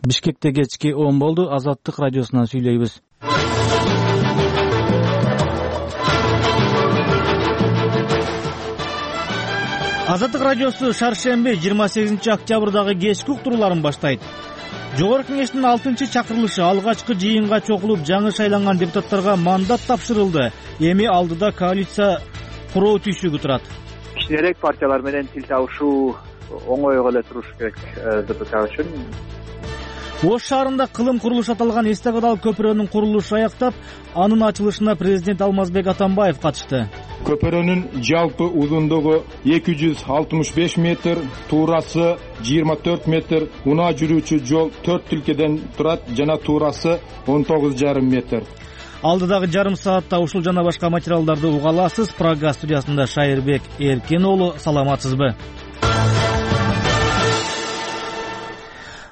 Бишкекте кечки 10 болду. Азаттык радиосунан сүйлөйбүз. Азаттык радиосу шаршемби 28 октябрдагы кечки уктурууларын баштайт. Жогорку кеңештин 6-чакырылышы алгачкы жыйынга чогулуп, жаңы шайланган депутаттарга мандат тапшырылды. Эми алдыда коалиция куруу түйшүгү турат. Кичинерээк партиялар менен тил табышуу оңой эле туруш керек ДПК үчүн. Ош шаарында кылым курулуш аталган эстакадалык көпүрөнүн курулушу аяктап, анын ачылышына президент Алмазбек Атамбаев катышты. Көпүрөнүн жалпы узундугу 265 метр, туурасы 24 метр, унаа жүрүүчү жол 4 тилкеден турат жана туурасы 19,5 метр. Алдыдагы жарым саатта ушул жана башка материалдарды уга аласыз. Прага студиясында Шайырбек Эркин уулу, саламатсызбы?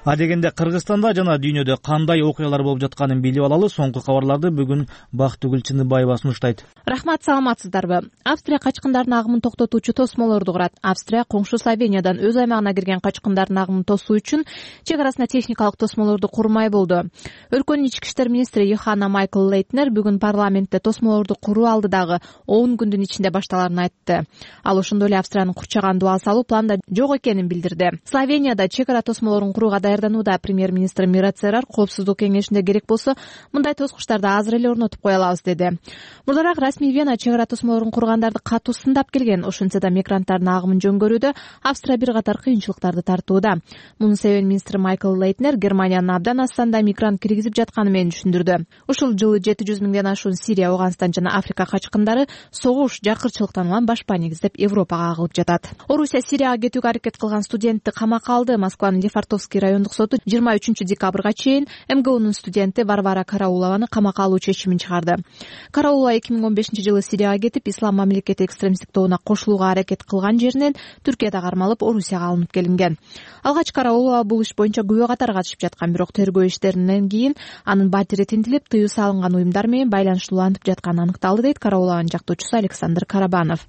Адегенде Кыргызстанда жана дүйнөдө кандай окуялар болуп жатканын билип алалы. Соңку кабарларды бүгүн Бактыгүл Чыныбаева сунуштайт. Рахмат, саламатсыздарбы? Австрия качкындардын агымын токтотуучу тосмолорду курат. Австрия коңшу Словениядан өз аймагына кирген качкындардын агымын тосуу үчүн чек арасында техникалык тосмолорду курмай болду. Өлкөнүн ички иштер министри Йоханна Майкл Лейтнер бүгүн парламентте тосмолорду куруу алдыдагы 10 күндүн ичинде башталарын айтты. Ал ошондой эле Австриянын курчаган дубал салуу планда жок экенин билдирди. Словенияда чек ара тосмолорун курууга даярданууда. Премьер-министр Мира Церар коопсуздук кеңешинде керек болсо мындай тоскучтарды азыр эле орнотуп кое алабыз деди. Мурдараак расмий Вена чек ара тосмолорун кургандарды катуу сындап келген. Ошентсе да мигранттардын агымын жөнгөрүүдө Австрия бир катар кыйынчылыктарды тартууда. Мунун себебин министр Майкл Лейтнер Германиянын абдан аз санда мигрант киргизип жатканы менен түшүндүрдү. Ушул жылы 700 миңден ашуун Сирия, Афганистан жана Африка качкындары согуш, жакырчылыктан улам башпа негиздеп Европага агылып жатат. Орусия Сирияга кетүүгө аракет кылган студентти камакка алды. Москванын Лефортовский райондук соту 23-декабрга чейин МГУнун студенти Варвара Караулованы камакка алуу чечимин чыгарды. Караулова 2015-жылы Сирияга кетип, Ислам мамлекети экстремисттик тобуна кошулууга аракет кылган жеринен Түркияда кармалып, Орусияга алынып келинген. Алгач Караулова бул иш боюнча күбө катары катышып жаткан, бирок тергөө иштеринен кийин анын батири тинтилип, тыюу салынган уюмдар менен байланыштууланып жатканы аныкталды, дейт Караулованын жактоочусу Александр Карабанов.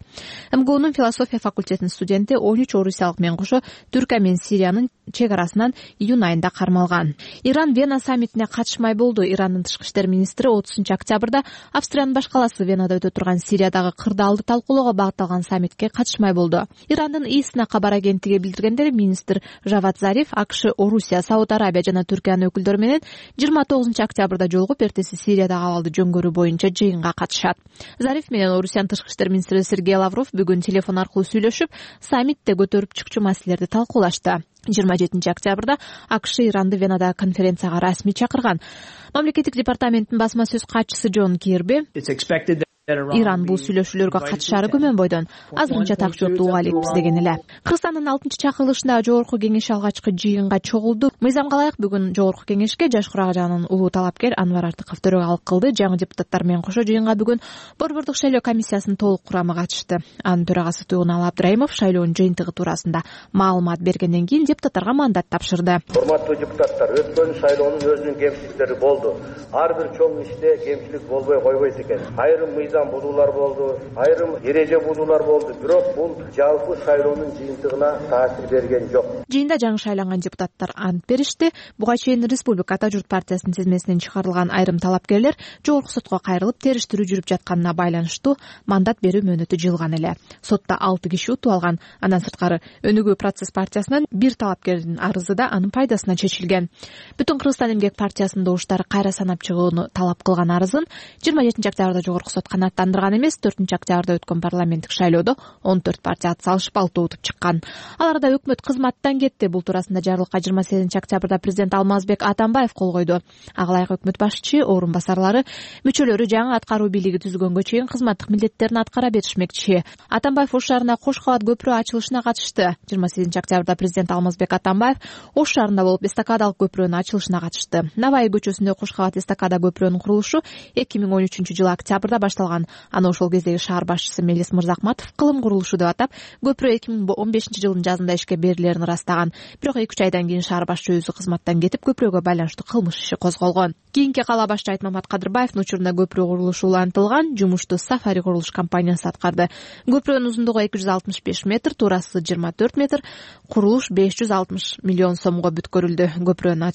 МГУнун философия факультетинин студенти 13 орусиялык менен кошо Түркия менен Сириянын чек арасынан июнь айында кармалган. Иран Вена саммитине катышмай болду. Ирандын тышкы иштер министри 30-октябрда Австриянын баш каласы Венада өтө турган Сириядагы кырдаалды талкуулоого багытталган саммитке катышмай болду. Ирандын ИСНА кабар агенттиги билдиргендей, министр Жавад Зариф АКШ, Орусия, Сауд Арабия жана Түркиянын өкүлдөрү менен 29-октябрда жолугуп, эртеси Сириядагы абалды жөнгөрүү боюнча жыйынга катышат. Зариф менен Орусиянын тышкы иштер министри Сергей Лавров бүгүн телефон аркылуу сүйлөшүп, саммитте көтөрүп чыкчу маселелерди талкуулашты. 27-октябрда АКШ Иранды Венадагы конференцияга расмий чакырган. Мамлекеттик департаменттин басма сөз катчысы Джон Кирби Иран бул сүйлөшүүлөргө катышары күмөн бойдон азырынча так жоопду уга элекпиз деген эле. Кыргызстандын 6-чакырылышында жогорку кеңеш алгачкы жыйынга чогулду. Мыйзамга ылайык бүгүн жогорку кеңешке Жаш Курагажанын улуу талапкер Анвар Артыков төрөгалык кылды. Жаңы депутаттар менен кошо жыйынга бүгүн Борбордук шайлоо комиссиясынын толук курамы катышты. Анын төрагасы Тугунал Абдрайымов шайлоонун жыйынтыгы туурасында маалымат бергенден кийин депутаттарга мандат тапшырды. Урматтуу депутаттар, өткөн шайлоонун өзүнүн кемчиликтери болду. Ар бир чоң иште кемчилик болбой койбойт экен. Айрым бузуулар болду, айрым эреже бузуулар болду, бирок бул жалпы шайлоонун жыйынтыгына таасир берген жок. Жыйында жаңы шайланган депутаттар ант беришти. Буга чейин Республикада Журт партиясынын тизмесинен чыгарылган айрым талапкерлер жогорку сотко кайрылып, териштирүү жүрүп жатканына байланыштуу мандат берүү мөөнөтү жылган эле. Сотто 6 киши утуп алган. Андан сырткары Өнүгүү процесс партиясынан бир талапкердин арызы да анын пайдасына чечилген. Бүтүн Кыргызстан эмгек партиясынын добуштары кайра санап чыгууну талап кылган арызын 27-октябрда жогорку сот канааттандырган эмес. 4-октябрда өткөн парламенттик шайлоодо 14 партия ат салышып 6 утуп чыккан. Аларда өкмөт кызматтан кетти. Бул туурасында жарлыкка 28-октябрда президент Алмазбек Атамбаев кол койду. Ага ылайык өкмөт башчы, орун басарлары, мүчөлөрү жаңы аткаруу бийлиги түзүлгөнгө чейин кызматтык милдеттерин аткара беришмекчи. Атамбаев Ош шаарына Кош кабат көпүрө ачылышына катышты. 28-октябрда президент Алмазбек Атамбаев Ош шаарында болуп эстакадалык көпүрөнүн ачылышына катышты. Наваи көчөсүндө Кош кабат эстакада көпүрөнүн курулушу 2013-жылы октябрда башталган. Аны ошол кездеги шаар башчысы Мелис Мырзакматов кылым курулушу деп атап, көпүрө 2015-жылдын жазында ишке берилерин ырастаган. Бирок 2-3 айдан кийин шаар башчы өзү кызматтан кетип, көпүрөгө байланыштуу кылмыш иши козголгон. Кийинки кала башчы Айтмамат Кадырбаевдин учурунда көпүрө курулушу улантылган. Жумушту Сафари курулуш компаниясы аткарды. Көпүрөнүн узундугу 265 метр, туурасы 24 метр. Курулуш 560 миллион сомго бүткөрүлдү. Көпүрөнүн